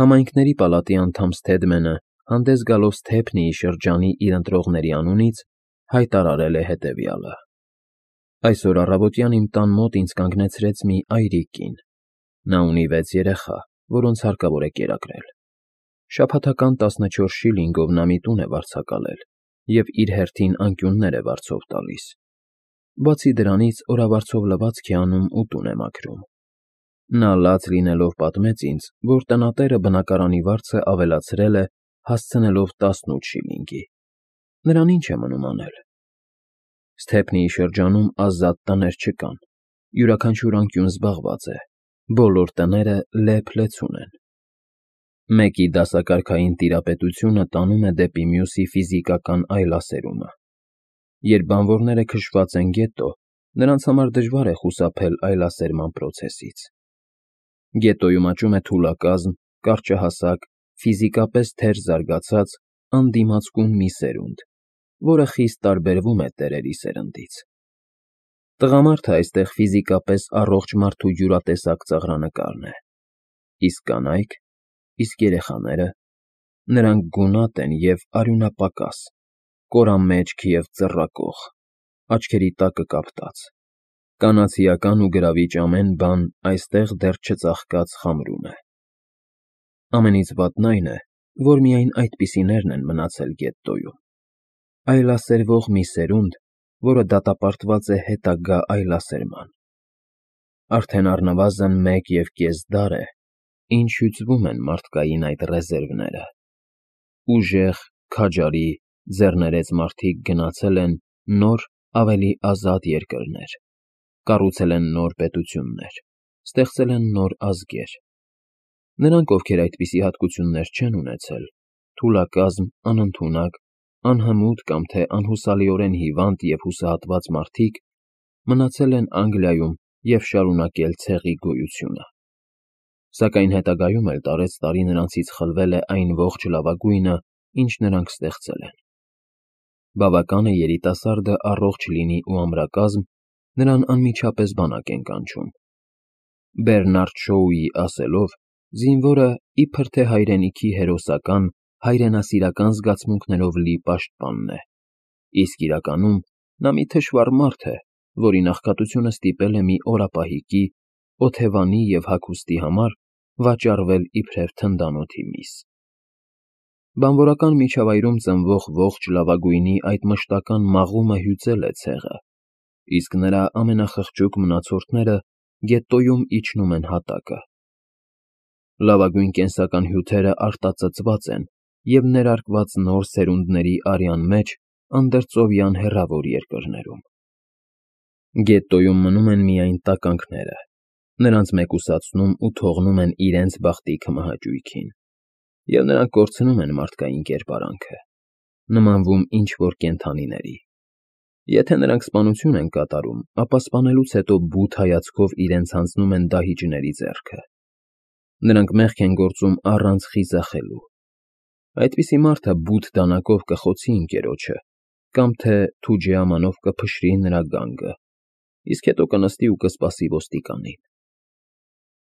Համայնքների պալատի անդամ Սթեդմենը, հանդես գալով Սթեփնիի շրջանի իր ընտրողների անունից, հայտարարել է հետևյալը. Այսօր առավոտյան իմ տան մոտ ինձ կանգնեցրեց մի այրիկ կին. նա ունի 6 երեխա, որոնց հարկավոր է կերակրել։ Շաբաթական 14 շիլինգով նա մի տուն է վարձակալել և իր հերթին անկյուններ է վարձով տալիս։ Բացի դրանից օրավարձով լվացք է անում ու տուն է մաքրում։ Նա լաց լինելով պատմեց ինձ, որ տնատերը բնակարանի վարձը ավելացրել է, հասցնելով 18 շիլինգի։ Նրան ինչ է մնում անել։ Սթեփնիի շրջանում ազատ տներ չկան, յուրաքանչյուր անկյուն զբաղված է, բոլոր տները լեփ-լեցուն են։ Մեկի դասակարգային տիրապետությունը տանում է դեպի մյուսի ֆիզիկական այլասերումը։ Երբ բանվորները քշված են գետո, նրանց համար դժվար է խուսափել այլասերման պրոցեսից։ Գետոյում աճում է թուլակազմ, կարճահասակ, ֆիզիկապես թեր զարգացած, անդիմացկուն մի սերունդ, որը խիստ տարբերվում է տերերի սերնդից։ Տղամարդը այստեղ ֆիզիկապես առողջ մարդու յուրատեսակ ծաղրանկարն է, իսկ կանայք, իսկ երեխաները, նրանք գունատ են և արյունապակաս, կորամեջք և ծռակող, աչքերի տակը կապտած, կանացիական ու գրավիչ ամեն բան այստեղ դեռ չծաղկած խամրում է։ Ամենից վատն այն է, որ միայն այդպիսիներն են մնացել գետոյում, այլասերվող մի սերունդ, որը դատապարտված է հետագա այլասերման։ Արդեն առնվազն 1,5 դար է, ինչ հյուծվում են մարդկային այդ ռեզերվները։ Ուժեղ, քաջարի, ձեռներեց մարդիկ գնացել են նոր, ավելի ազատ երկրներ, կառուցել են նոր պետություններ, ստեղծել են նոր ազգեր։ Նրանք, ովքեր այդպիսի հատկություններ չեն ունեցել, թուլակազմ, անընդունակ, անհմուտ կամ թե անհուսալիորեն հիվանդ և հուսահատված մարդիկ, մնացել են Անգլիայում և շարունակել ցեղի գոյությունը։ Սակայն հետագայում էլ տարեցտարի նրանցից խլվել է այն ողջ լավագույնը, ինչ նրանք ստեղծել են։ Բավական է երիտասարդը առողջ լինի ու ամրակազմ, նրան անմիջապես բանակ են կանչում։ Բերնարդ Շոուի ասելով, զինվորը իբր թե հայրենիքի հերոսական, հայրենասիրական զգացմունքներով լի պաշտպանն է, իսկ իրականում նա մի թշվառ մարդ է, որի նախկատությունը ստիպել է մի օրապահիկի, օթևանի և հագուստի համար վաճառվել իբրև թնդանոթի միս։ Բանվորական միջավայրում ծնվող ողջ լավագույնի այդ մշտական մաղումը հյուծել է ցեղը, իսկ նրա ամենախղճուկ մնացորդները գետոյում իջնում են հատակը։ Լավագույն կենսական հյութերը արտածծված են և ներարկված նոր սերունդների արյան մեջ անդրծովյան հեռավոր երկրներում։ Գետոյում մնում են միայն տականքները, նրանց մեկուսացնում ու թողնում են իրենց բախտի քմահաճույքին, և նրանք կորցնում են մարդկային կերպարանքը, նմանվում ինչ-որ կենդանիների։ Եթե նրանք սպանություն են կատարում, ապա սպանելուց հետո բութ հայացքով իրենց հանձնում են դահիճների ձեռքը։ Նրանք մեղք են գործում առանց խիզախելու։ Այդպիսի մարդը բութ դանակով կխոցի ընկերոջը կամ թե թուջեամանով կփշրի նրա գանգը, իսկ հետո կնստի ու կսպասի ոստիկանին։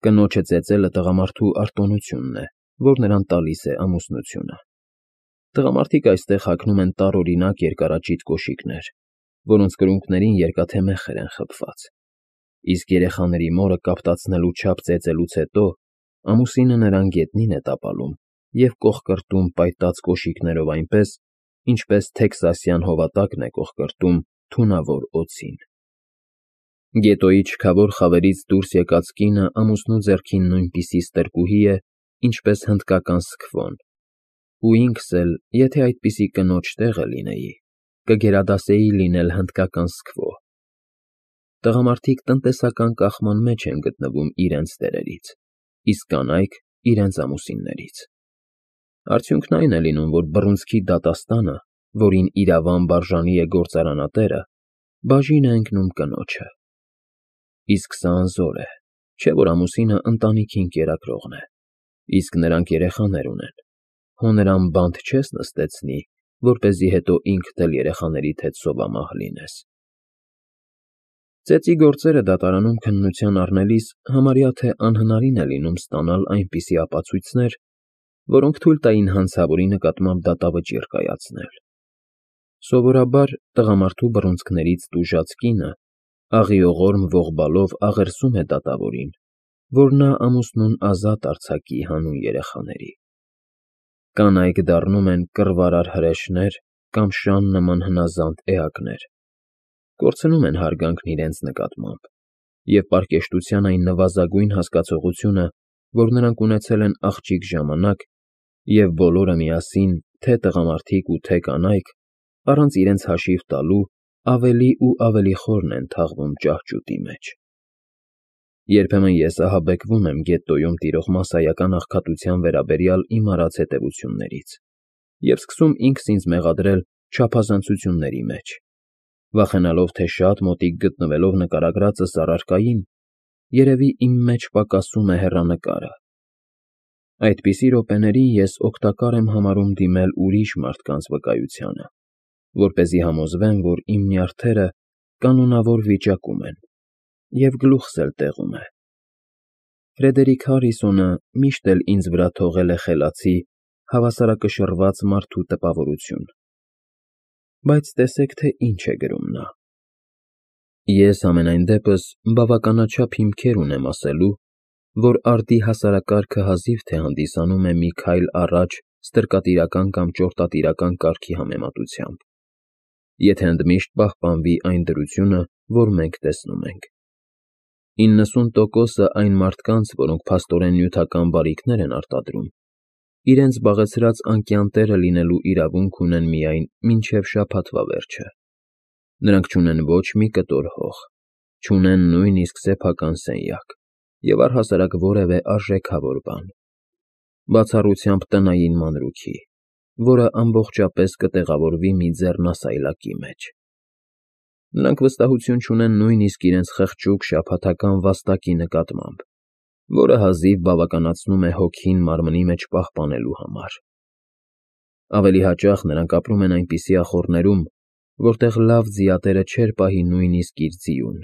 Կնոջը ծեծելը տղամարդու արտոնությունն է, որ նրան տալիս է ամուսնությունը։ Տղամարդիկ այստեղ հագնում են տարօրինակ երկարաճիտ կոշիկներ, որոնց կրունկներին երկաթե մեխեր են խբված, իսկ երեխաների մորը կապտացնելու չափ ծեծելուց հետո ամուսինը նրան գետնին է տապալում և կոխկրտում պայտած կոշիկներով այնպես, ինչպես տեքսասյան հովատակն է կոխկրտում թունավոր օձին։ Գետոյի չքավոր խավերից դուրս եկած կինը ամուսնու ձեռքին նույնպիսի ստրկուհի է, ինչպես հնդկական Սքվոն, ու ինքս էլ, եթե այդպիսի կնոջ տեղը լինեի, կգերադասեի լինել հնդկական Սքվո։ Տղամարդիկ տնտեսական կախման մեջ են գտնվում իրենց տերերից, իսկ կանայք իրենց ամուսիններից։ Արդյունքն այն է լինում, որ բռունցքի դատաստանը, որին իրավամբ արժանի է գործարանատերը, բաժին է ընկնում կնոջը։ Իսկ սա անզոր է, չէ՞ որ ամուսինը ընտանիքին կերակրողն է, իսկ նրանք երեխաներ ունեն, հո նրան բանտ չես նստեցնի, որպեսզի հետո ինքդ էլ երեխաներիդ հետ սովամահ լինես։ Ծեծի գործերը դատարանում քննության առնելիս համարյա թե անհնարին է լինում ստանալ այնպիսի ապացույցներ, որոնք թույլ տային հանցավորի նկատմամբ դատավճիռ կայացնել։ Սովորաբար տղամարդու բռունցքներից տուժած կինը աղիողորմ ողբալով աղերսում է դատավորին, որ նա ամուսնուն ազատ արձակի հանուն երեխաների։ Կանայք դառնում են կռվարար հրեշներ կամ շան նման հնազանդ էակներ, կորցնում են հարգանքն իրենց նկատմամբ, և պարկեշտության այն նվազագույն հասկացողությունը, որ նրանք ունեցել են աղջիկ ժամանակ, և բոլորը միասին, թե տղամարդիկ ու թե կանայք, առանց իրենց հաշիվ տալու, ավելի ու ավելի խորն են թաղվում ճահճուտի մեջ։ Երբեմն ես ահաբեկվում եմ գետտոյում տիրող մասսայական աղքատության վերաբերյալ իմ արած հետևություններից և սկսում ինքս ինձ մեղադրել չափազանցությունների մեջ, վախենալով, թե շատ մոտիկ գտնվելով նկարագրածս առարկային, երևի իմ մեջ պակասում է հեռանկարը։ Այդպիսի րոպեներին ես օգտակար եմ համարում դիմել ուրիշ մարդկանց վկայությանը, որպեսզի համոզվեմ, որ իմ նյարդերը կանոնավոր վիճակում են, և գլուխս էլ տեղում է։ Ֆրեդերիկ Հարրիսոնը միշտ էլ ինձ վրա թողել է խելացի, հավասարակշռված մարդու տպավորություն։ Բայց տեսեք, թե ինչ է գրում նա. Ես համենայն դեպս բավականաչափ հիմքեր ունեմ ասելու, որ արդի հասարակարգը հազիվ թե հանդիսանում է մի քայլ առաջ ստրկատիրական կամ ճորտատիրական կարգի համեմատությամբ, եթե ընդմիշտ պահպանվի այն դրությունը, որ մենք տեսնում ենք։ 90%-ը այն մարդկանց, որոնք փաստորեն նյութական բարիքներ են արտադրում, իրենց զբաղեցրած անկյան տեղը լինելու իրավունք ունեն միայն մինչև շաբաթվա վերջը։ Նրանք չունեն ոչ մի կտոր հող, չունեն նույնիսկ սեփական սենյակ և առհասարակ որևէ արժեքավոր բան, բացառությամբ տնային մանրուքի, որը ամբողջապես կտեղավորվի մի ձեռնասայլակի մեջ։ Նրանք վստահություն չունեն նույնիսկ իրենց խղճուկ շաբաթական վաստակի նկատմամբ, որը հազիվ բավականացնում է հոգին մարմնի մեջ պահպանելու համար։ Ավելի հաճախ նրանք ապրում են այնպիսի ախոռներում, որտեղ լավ ձիատերը չէր պահի նույնիսկ իր ձիուն։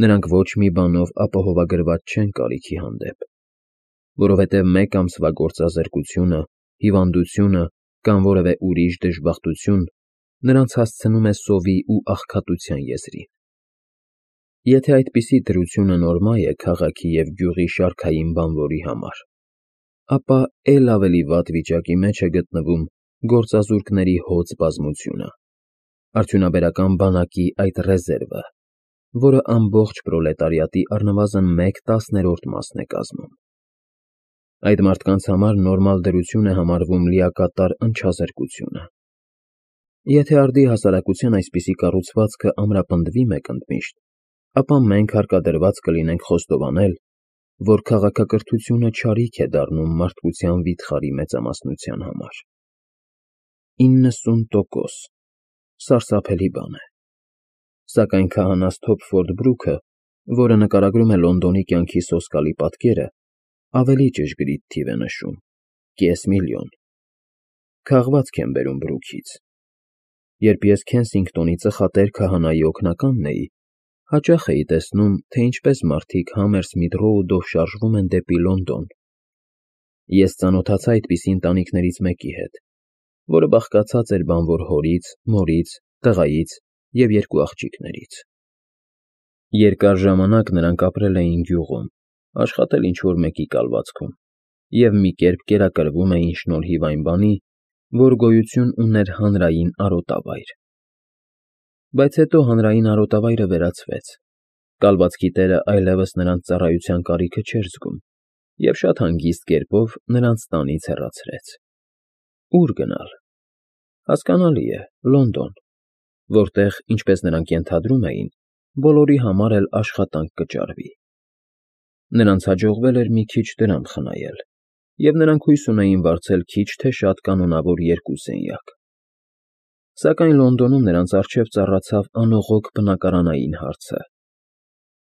Նրանք ոչ մի բանով ապահովագրված չեն կարիքի հանդեպ, որովհետև մեկ ամսվա գործազրկությունը, հիվանդությունը կամ որևէ ուրիշ դժբախտություն նրանց հասցնում է սովի ու աղքատության եզրին։ Եթե այդպիսի դրությունը նորմա է քաղաքի և գյուղի շարքային բանվորի համար, ապա էլ ավելի վատ վիճակի մեջ է գտնվում գործազուրկների հոծ բազմությունը, արդյունաբերական բանակի այդ ռեզերվը, որը ամբողջ պրոլետարիատի առնվազն 1/10 մասն է կազմում։ Այդ մարդկանց համար նորմալ դրություն է համարվում լիակատար ընչազրկությունը։ Եթե արդի հասարակության այսպիսի կառուցվածքը ամրապնդվի մեկ ընդմիշտ, ապա մենք հարկադրված կլինենք խոստովանել, որ քաղաքակրթությունը չարիք է դառնում մարդկության վիթխարի մեծամասնության համար։ 90%, սարսափելի բան է։ Սակայն քահանաս Թոփֆորդ Բրուքը, որը նկարագրում է Լոնդոնի կյանքի սոսկալի պատկերը, ավելի ճշգրիտ թիվ է նշում՝ 500,000։ Քաղվածք եմ բերում Բրուքից։ Երբ ես Քենսինգտոնի ծխատեր քահանայի օգնականն էի, հաճախ էի տեսնում, թե ինչպես մարդիկ Համերսմիթ Ռոուդով շարժվում են դեպի Լոնդոն։ Ես ծանոթացա այդպիսի ընտանիքներից մեկի հետ, որը բաղկացած էր բանվոր հորից, մորից, տղայից և 2 աղջիկներից։ Երկար ժամանակ նրանք ապրել էին գյուղում, աշխատել ինչ-որ մեկի կալվածքում և մի կերպ կերակրվում էին շնորհիվ այն բանի, որ գոյություն ուներ հանրային արոտավայր։ Բայց հետո հանրային արոտավայրը վերացվեց, կալվածքի տերը այլևս նրանց ծառայության կարիքը չէր զգում և շատ հանգիստ կերպով նրանց տանից հեռացրեց։ Ո՞ւր գնալ։ Հասկանալի է, Լոնդոն, որտեղ, ինչպես նրանք ենթադրում էին, բոլորի համար էլ աշխատանք կճարվի։ Նրանց հաջողվել էր մի քիչ դրամ խնայել, և նրանք հույս ունեին վարձել քիչ թե շատ կանոնավոր 2 սենյակ։ Սակայն Լոնդոնում նրանց առջև ծառացավ անողոք բնակարանային հարցը։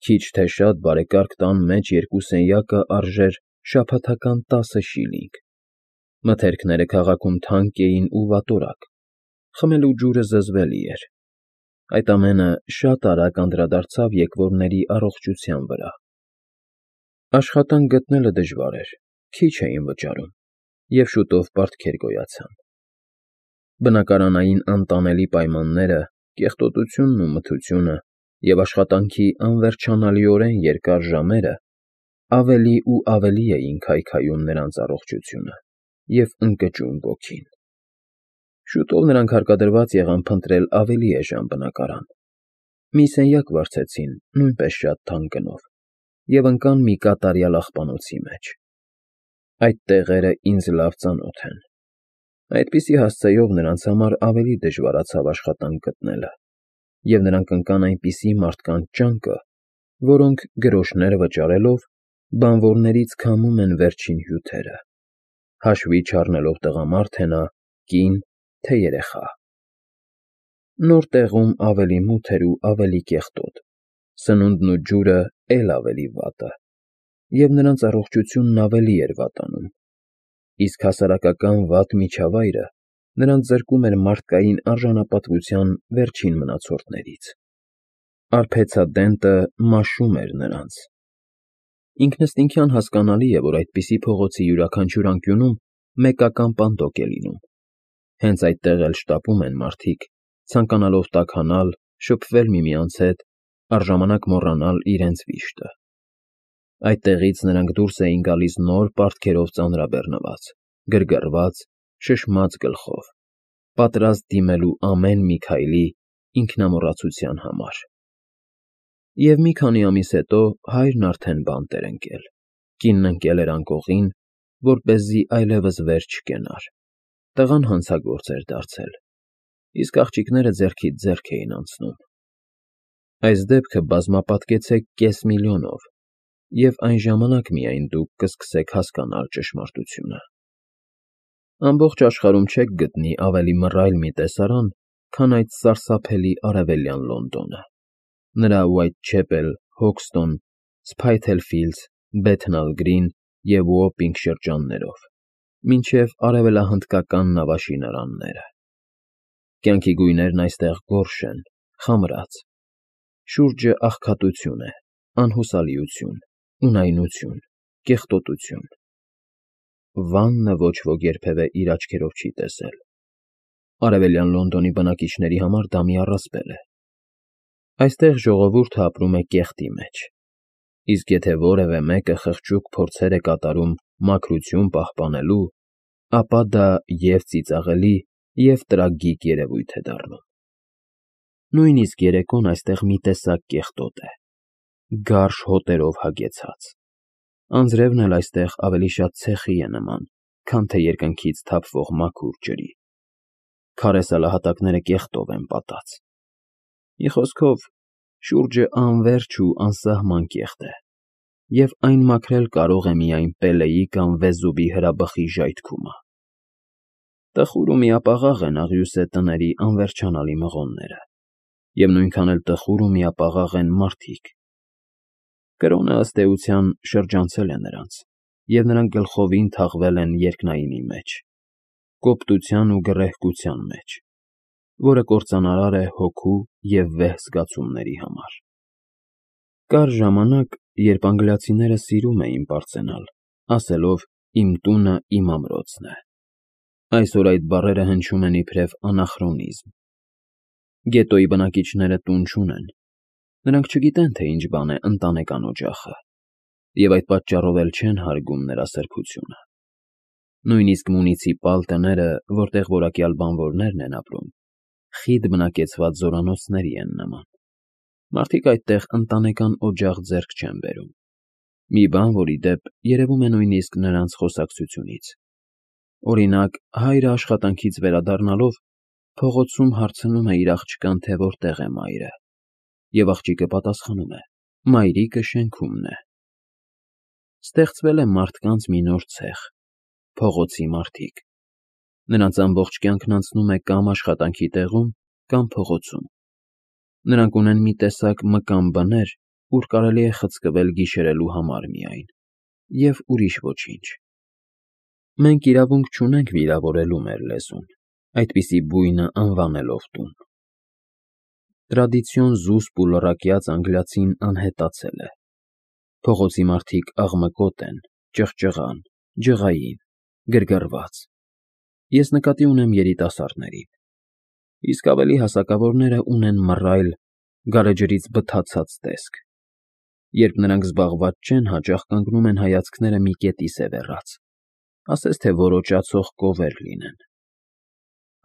Քիչ թե շատ բարեկարգ տան մեջ 2 սենյակը արժեր շաբաթական 10 շիլինգ։ Մթերքները քաղաքում թանկ էին ու վատորակ, խմելու ջուրը զզվելի էր։ Այդ ամենը շատ արագ անդրադարձավ եկվորների առողջության վրա։ Աշխատանք գտնելը դժվար էր, քիչ էին վճարում, և շուտով պարտքեր գոյացան։ Բնակարանային անտանելի պայմանները, կեղտոտությունն ու մթությունը և աշխատանքի անվերջանալիորեն երկար ժամերը ավելի ու ավելի էին քայքայում նրանց առողջությունը և ընկճում ոգին։ Շուտով նրանք հարկադրված եղան փնտրել ավելի էժան բնակարան։ Մի սենյակ վարձեցին նույնպես շատ թանկ գնով և ընկան մի կատարյալ աղբանոցի մեջ։ Այդ տեղերը ինձ լավ ծանոթ են։ Այդպիսի հասցեով նրանց համար ավելի դժվարացավ աշխատանք գտնելը, և նրանք ընկան այնպիսի մարդկանց ճանկը, որոնք, գրոշներ վճարելով, բանվորներից քամում են վերջին հյութերը, հաշվի չառնելով տղամարդ է նա, կին, թե երեխա։ Նոր տեղում ավելի մութ էր ու ավելի կեղտոտ, սնունդն ու ջուրը էլ ավելի վատը, և նրանց առողջությունն ավելի էր վատանում, իսկ հասարակական վատ միջավայրը նրանց զրկում էր մարդկային արժանապատվության վերջին մնացորդներից։ Արբեցադենտը մաշում էր նրանց։ Ինքնըստինքյան հասկանալի է, որ այդպիսի փողոցի յուրաքանչյուր անկյունում մեկական պանդոկ է լինում։ Հենց այդտեղ էլ շտապում են մարդիկ, ցանկանալով տաքանալ, շփվել միմյանց հետ, առժամանակ մոռանալ իրենց վիշտը։ Այդտեղից նրանք դուրս էին գալիս նոր պարտքերով ծանրաբեռնված, գրգռված, շշմած գլխով, պատրաստ դիմելու ամեն մի քայլի ինքնամոռացության համար։ Եվ մի քանի ամիս հետո հայրն արդեն բանտ էր ընկել, կինն ընկել էր անկողին, որպեսզի այլևս վեր չկենար, տղան հանցագործ էր դարձել, իսկ աղջիկները ձեռքից ձեռք էին անցնում։ Այս դեպքը բազմապատկեցեք $500,000, և այն ժամանակ միայն դուք կսկսեք հասկանալ ճշմարտությունը։ Ամբողջ աշխարհում չեք գտնի ավելի մռայլ մի տեսարան, քան այդ սարսափելի Արևելյան Լոնդոնը, նրա Ուայթչեպել, Հոքստոն, Սփայթել Ֆիլդս, Բեթնալ Գրին և Ուոպինգ շրջաններով, մինչև արևելահնդկական նավաշինարանները։ Կյանքի գույներն այստեղ գորշ են, խամրած, շուրջը աղքատություն է, անհուսալիություն, ունայնություն, կեղտոտություն։ Վաննը ոչ ոք երբևէ իր աչքերով չի տեսել։ Արևելյան Լոնդոնի բնակիչների համար դա մի առասպել է։ Այստեղ ժողովուրդը ապրում է կեղտի մեջ, իսկ եթե որևէ մեկը խղճուկ փորձեր է կատարում մաքրություն պահպանելու, ապա դա և՛ ծիծաղելի, և՛ տրագիկ երևույթ է դառնում։ Նույնիսկ երեկոն այստեղ մի տեսակ կեղտոտ է, գարշ հոտերով հագեցած։ Անձրևն էլ այստեղ ավելի շատ ցեխի է նման, քան թե երկնքից թափվող մաքուր ջրի։ Քարե սալահատակները կեղտով են պատած։ Մի խոսքով, շուրջը անվերջ ու անսահման կեղտ է, և այն մաքրել կարող է միայն Պելեի կամ Վեզուվի հրաբխի ժայթքումը։ Տխուր ու միապաղաղ են աղյուսե տների անվերջանալի մղոնները, և նույնքան էլ տխուր ու միապաղաղ են մարդիկ։ Կրոնը, ըստ էության, շրջանցել է նրանց, և նրանք գլխովին թաղվել են երկնայինի մեջ, կոպտության ու գռեհկության մեջ, որը կործանարար է հոգու և վեհ զգացումների համար։ Կար ժամանակ, երբ անգլիացիները սիրում էին պարծենալ, ասելով. «Իմ տունը իմ ամրոցն է»։ Այսօր այդ բառերը հնչում են իբրև անախրոնիզմ։ Գետոյի բնակիչները տուն չունեն։ Նրանք չգիտեն, թե ինչ բան է ընտանեկան օջախը, և այդ պատճառով էլ չեն հարգում նրա սրբությունը։ Նույնիսկ մունիցիպալ տները, որտեղ որակյալ բանվորներն են ապրում, խիտ բնակեցված զորանոցների են նման։ Մարդիկ այդտեղ ընտանեկան օջախ ձեռք չեն բերում։ Մի բան, որ, ի դեպ, երևում է նույնիսկ նրանց խոսակցությունից։ Օրինակ, հայրը աշխատանքից վերադառնալով փողոցում հարցնում է իր աղջկան, թե որտեղ է մայրը, և աղջիկը պատասխանում է. «Մայրիկը շենքումն է»։ Ստեղծվել է մարդկանց մի նոր ցեխ՝ փողոցի մարդիկ։ Նրանց ամբողջ կյանքն անցնում է կամ աշխատանքի տեղում, կամ փողոցում։ Նրանք ունեն մի տեսակ մկան բներ, ուր կարելի է խցկվել գիշերելու համար միայն, և ուրիշ ոչինչ։ Մենք իրավունք չունենք վիրավորելու մեր լեզուն, այդպիսի բույնը անվանելով տուն։ Տրադիցիոն զուսպ ու լռակյաց անգլիացին անհետացել է։ Փողոցի մարդիկ աղմկոտ են, ճղճղան, ջղային, գրգռված։ Ես նկատի ունեմ երիտասարդներին, իսկ ավելի հասակավորները ունեն մռայլ, գարեջրից բթացած տեսք։ Երբ նրանք զբաղված չեն, հաճախ կանգնում են հայացքները մի կետի սևեռած, ասես թե որոճացող կովեր լինեն։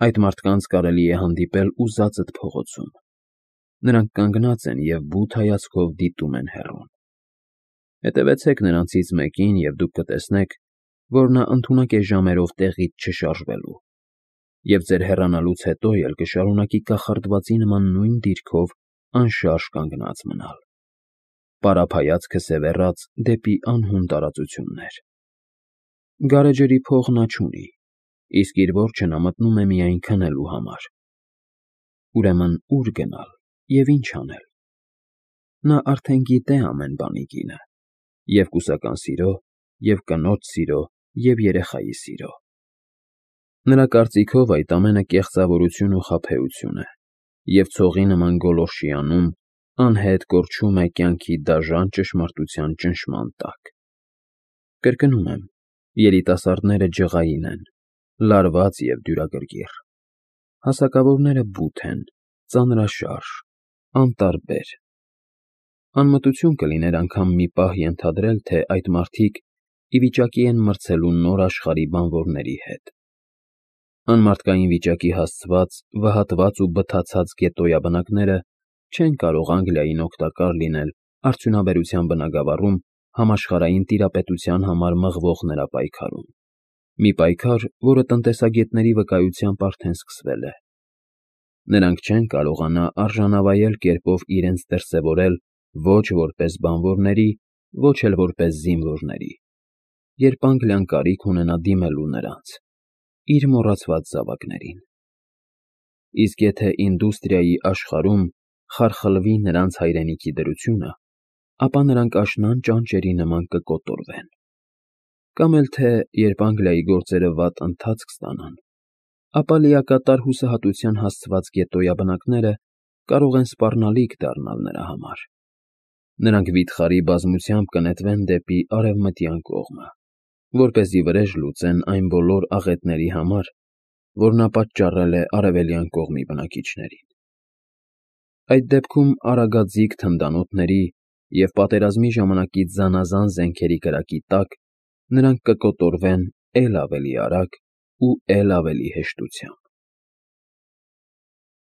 Այդ մարդկանց կարելի է հանդիպել ուզածդ փողոցում։ Նրանք կանգնած են և բութ հայացքով դիտում են հեռուն։ Հետևեցեք նրանցից մեկին, և դուք կտեսնեք, որ նա ընդունակ է ժամերով տեղից չշարժվելու, և ձեր հեռանալուց հետո էլ կշարունակի կախարդվածի նման նույն դիրքով անշարժ կանգնած մնալ, պարապ հայացքը սևեռած դեպի անհուն տարածություններ։ Գարեջրի փող նա չունի, իսկ իր որջը նա մտնում է միայն քնելու համար։ Ուրեմն ո՞ւր գնալ և ինչ անել։ Նա արդեն գիտե ամեն բանի գինը, և կուսական սիրո, և կնոջ սիրո, և երեխայի սիրո։ Նրա կարծիքով այդ ամենը կեղծավորություն ու խաբեություն է, և ցողի նման գոլորշի անում անհետ կորչում է կյանքի դաժան ճշմարտության ճնշման տակ։ Կրկնում եմ, երիտասարդները ջղային են, լարված և դյուրագրգիռ։ Հասակավորները բութ են, ծանրաշարժ, անտարբեր։ Անմտություն կլիներ անգամ մի պահ ենթադրել, թե այդ մարդիկ ի վիճակի են մրցելու նոր աշխարհի բանվորների հետ։ Անմարդկային վիճակի հասցված, վհատված ու բթացած գետոյաբնակները չեն կարող Անգլիային օգտակար լինել արդյունաբերության բնագավառում համաշխարհային տիրապետության համար մղվող նրա պայքարում։ Մի պայքար, որը տնտեսագետների վկայությամբ արդեն սկսվել է։ Նրանք չեն կարողանա արժանավայել կերպով իրենց դրսևորել ոչ որպես բանվորների, ոչ էլ որպես զինվորների, երբ Անգլիան կարիք ունենա դիմելու նրանց՝ իր մոռացված զավակներին։ Իսկ եթե ինդուստրիայի աշխարհում խարխլվի նրանց հայրենիքի դրությունը, ապա նրանք աշնան ճանճերի նման կկոտորվեն։ Կամ էլ թե երբ Անգլիայի գործերը վատ ընթացք ստանան, ապա լիակատար հուսահատության հասցված գետոյաբնակները կարող են սպառնալիք դառնալ նրա համար։ Նրանք վիթխարի բազմությամբ կնետվեն դեպի արևմտյան կողմը, որպեսզի վրեժ լուծեն այն բոլոր աղետների համար, որ նա պատճառել է արևելյան կողմի բնակիչներին։ Այդ դեպքում արագաձիգ թնդանոթների և պատերազմի ժամանակի զանազան զենքերի կրակի տակ նրանք կկոտորվեն էլ ավելի արագ ու էլ ավելի հեշտությամբ։